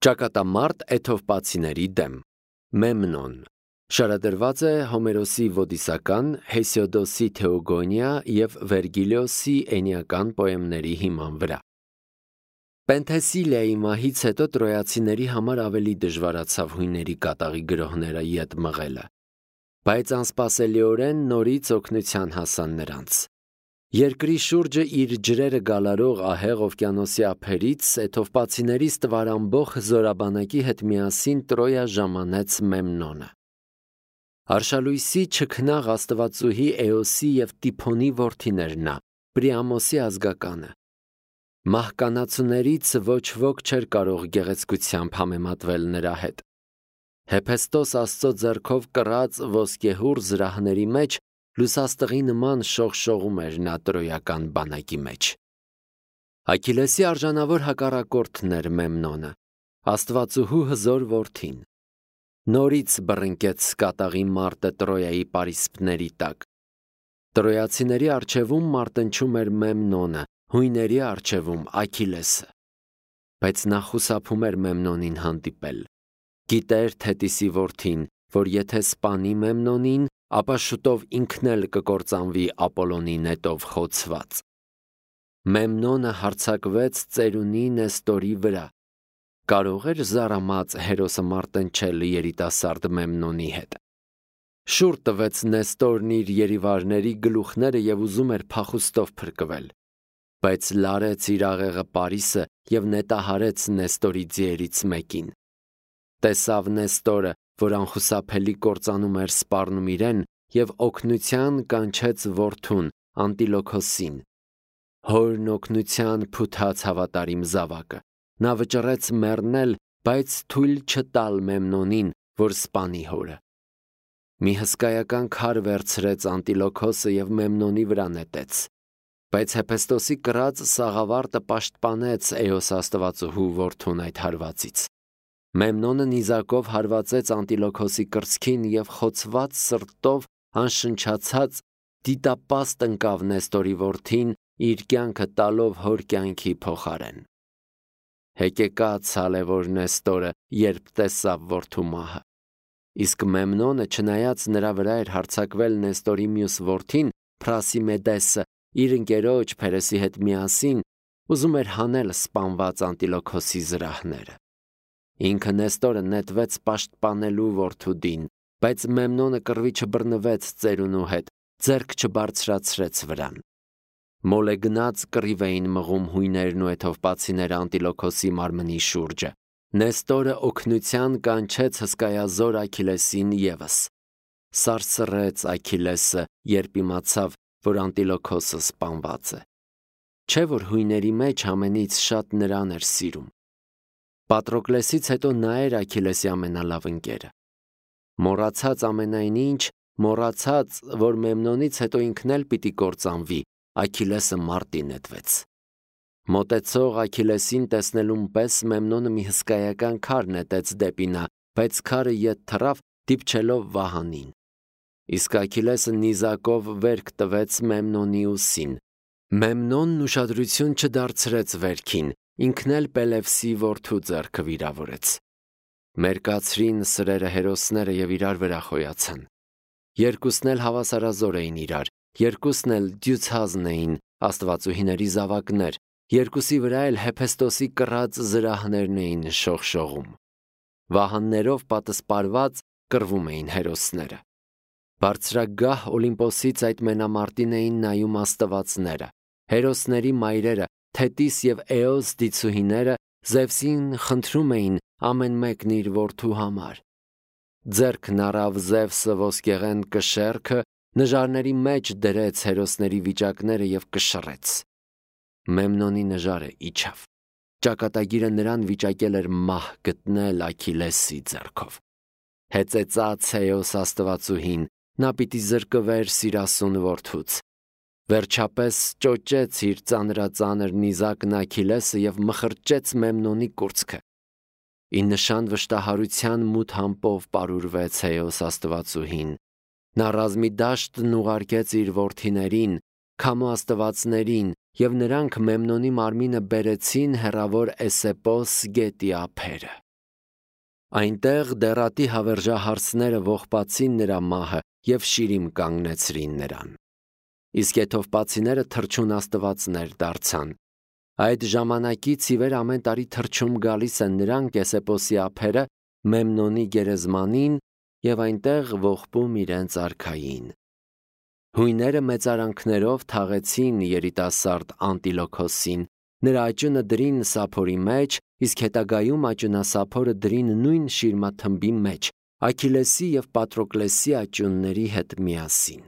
Ճակատամարտ էթովպացիների դեմ Մեմնոն շարադրված է Հոմերոսի Ոդիսական, Հեսիոդոսի Թեոգոնիա և Վերգիլիոսի Էնիական պոեմների հիման վրա։ Պենթեսիլիայի մահից հետո տրոյացիների համար ավելի դժվարացավ հույների կատաղի գրոհները ետ մղելը, բայց անսպասելիորեն նորից օգնության հասան նրանց։ Երկրի շուրջը իր ջրերը գալարող ահեղ օվկիանոսի ափերից էթովպացիներից տվարամբող զորաբանակի հետ միասին Տրոյա ժամանեց Մեմնոնը։ Արշալույսի չքնաղ աստվածուհի Էոսի և Տիփոնի որդին էր նա, Պրիամոսի ազգականը։ Մահկանացուներից ոչ ոք չէր կարող գեղեցկությամբ համեմատվել նրա հետ։ Հեփեստոս Աստծո ձեռքով կռած ոսկեհուռ զրահների մեջ լուսաստղի նման շողշողում էր նա տրոյական բանակի մեջ։ Աքիլեսի արժանավոր հակառակորդն էր Մեմնոնը, աստվածուհու հզոր որդին։ Նորից բռնկեց կատաղի մարտը Տրոյայի պարիսպների տակ։ Տրոյացիների առջևում մարտնչում էր Մեմնոնը, հույների առջևում Աքիլեսը։ Բայց նա խուսափում էր Մեմնոնին հանդիպել։ Գիտեր Թետիսի որդին, որ եթե սպանի Մեմնոնին, ապա շուտով ինքն էլ կկործանվի Ապոլոնի նետով խոցված։ Մեմնոնը հարձակվեց ծերունի Նեստորի վրա։ Կարող էր զարամած Հերոսը մարտնչել երիտասարդ Մեմնոնի հետ։ Շուռ տվեց Նեստորն իր երիվարների գլուխները և ուզում էր փախուստով փրկվել, բայց լարեց իր աղեղը Պարիսը և նետահարեց Նեստորի ձիերից մեկին։ Տեսավ Նեստորը, որ անխուսափելի կործանում էր սպառնում իրեն, և օգնության կանչեց որդուն Անտիլոքոսին։ Հորն օգնության փութաց հավատարիմ զավակը։ Նա վճռեց մեռնել, բայց թույլ չտալ Մեմնոնին, որ սպանի հորը։ Մի հսկայական քար վերցրեց Անտիլոքոսը և Մեմնոնի վրա նետեց։ Բայց Հեփեստոսի կռած սաղավարտը պաշտպանեց Էոս աստվածուհու որդուն այդ հարվածից։ Մեմնոնը նիզակով հարվածեց Անտիլոքոսի կրծքին և խոցված սրտով անշնչացած դիտապաստ ընկավ Նեստորի որդին, իր կյանքը տալով հոր կյանքի փոխարեն։ Հեկեկաց հալևոր Նեստորը, երբ տեսավ որդու մահը։ Իսկ Մեմնոնը, չնայած նրա վրա էր հարձակվել Նեստորի մյուս որդին, Փրասիմեդեսը, իր ընկերոջ Փերեսի հետ միասին, ուզում էր հանել սպանված Անտիլոքոսի զրահները։ Ինքը Նեստորը նետվեց պաշտպանելու որդուդին, բայց Մեմնոնը կռվի չբռնվեց ծերունու հետ, ձեռք չբարձրացրեց վրան։ Մոլեգնած կռիվ էին մղում հույներն ու էթովպացիները Անտիլոքոսի մարմնի շուրջը։ Նեստորը օգնության կանչեց հսկայազոր Աքիլեսին ևս։ Սարսռեց Աքիլեսը, երբ իմացավ, որ Անտիլոքոսը սպանված է։ Չէ՞ որ հույների մեջ ամենից շատ նրան էր սիրում։ Պատրոկլեսից հետո նա էր Աքիլեսի ամենալավ ընկերը։ Մոռացած ամենայն ինչ, մոռացած, որ Մեմնոնից հետո ինքն էլ պիտի կործանվի, Աքիլեսը մարտի նետվեց։ Մոտեցող Աքիլեսին տեսնելուն պես Մեմնոնը մի հսկայական քար նետեց դեպի նա, բայց քարը ետ թռավ, դիպչելով վահանին։ Իսկ Աքիլեսը նիզակով վերք տվեց Մեմնոնի ուսին։ Մեմնոնն ուշադրություն չդարձրեց վերքին, ինքն էլ Պելևսի որդու ձեռքը վիրավորեց։ Մերկացրին սրերը հերոսները և իրար վրա խոյացան։ Երկուսն էլ հավասարազոր էին իրար, երկուսն էլ դյուցազն էին, աստվածուհիների զավակներ, երկուսի վրա էլ Հեփեստոսի կռած զրահներն էին շողշողում։ Վահաններով պատսպարված կռվում էին հերոսները։ Բարձրագահ Օլիմպոսից այդ մենամարտին էին նայում աստվածները, հերոսների մայրերը, Թետիս և Էոս դիցուհիները Զևսին խնդրում էին ամեն մեկն իր որդու համար։ Ձեռքն առավ Զևսը ոսկեղեն կշեռքը, նժարների մեջ դրեց հերոսների վիճակները և կշռեց։ Մեմնոնի նժարը իջավ։ Ճակատագիրը նրան վիճակել էր մահ գտնել Աքիլեսի ձեռքով։ Հեծեծաց Էոս աստվածուհին, նա պիտի զրկվեր սիրասուն որդուց։ Վերջապես ճոճեց իր ծանրածանր նիզակն Աքիլեսը և մխրճեց Մեմնոնի կուրծքը։ Ի նշան վշտահարության մութ համպով պարուրվեց Էոս աստվածուհին։ Նա ռազմի դաշտն ուղարկեց իր որդիներին, քամու աստվածներին, և նրանք Մեմնոնի մարմինը բերեցին հեռավոր Էսեպոս գետի ափերը։ Այնտեղ դեռատի հավերժահարցները ողբացին նրա մահը և շիրիմ կանգնեցրին նրան։ Իսկ եթովպացիները թռչուն աստվածներ դարձան։ Այդ ժամանակից ի վեր ամեն տարի թռչում գալիս են նրանք Կեսեպոսի ափերը Մեմնոնի գերեզմանին և այնտեղ ողբում իրենց արքային։ Հույները մեծարանքներով թաղեցին երիտասարդ Անտիլոքոսին, նրա աճյունը դրին սափորի մեջ, իսկ հետագայում աճյունասափորը դրին նույն շիրմաթմբի մեջ, Աքիլեսի և Պատրոկլեսի աճյունների հետ միասին։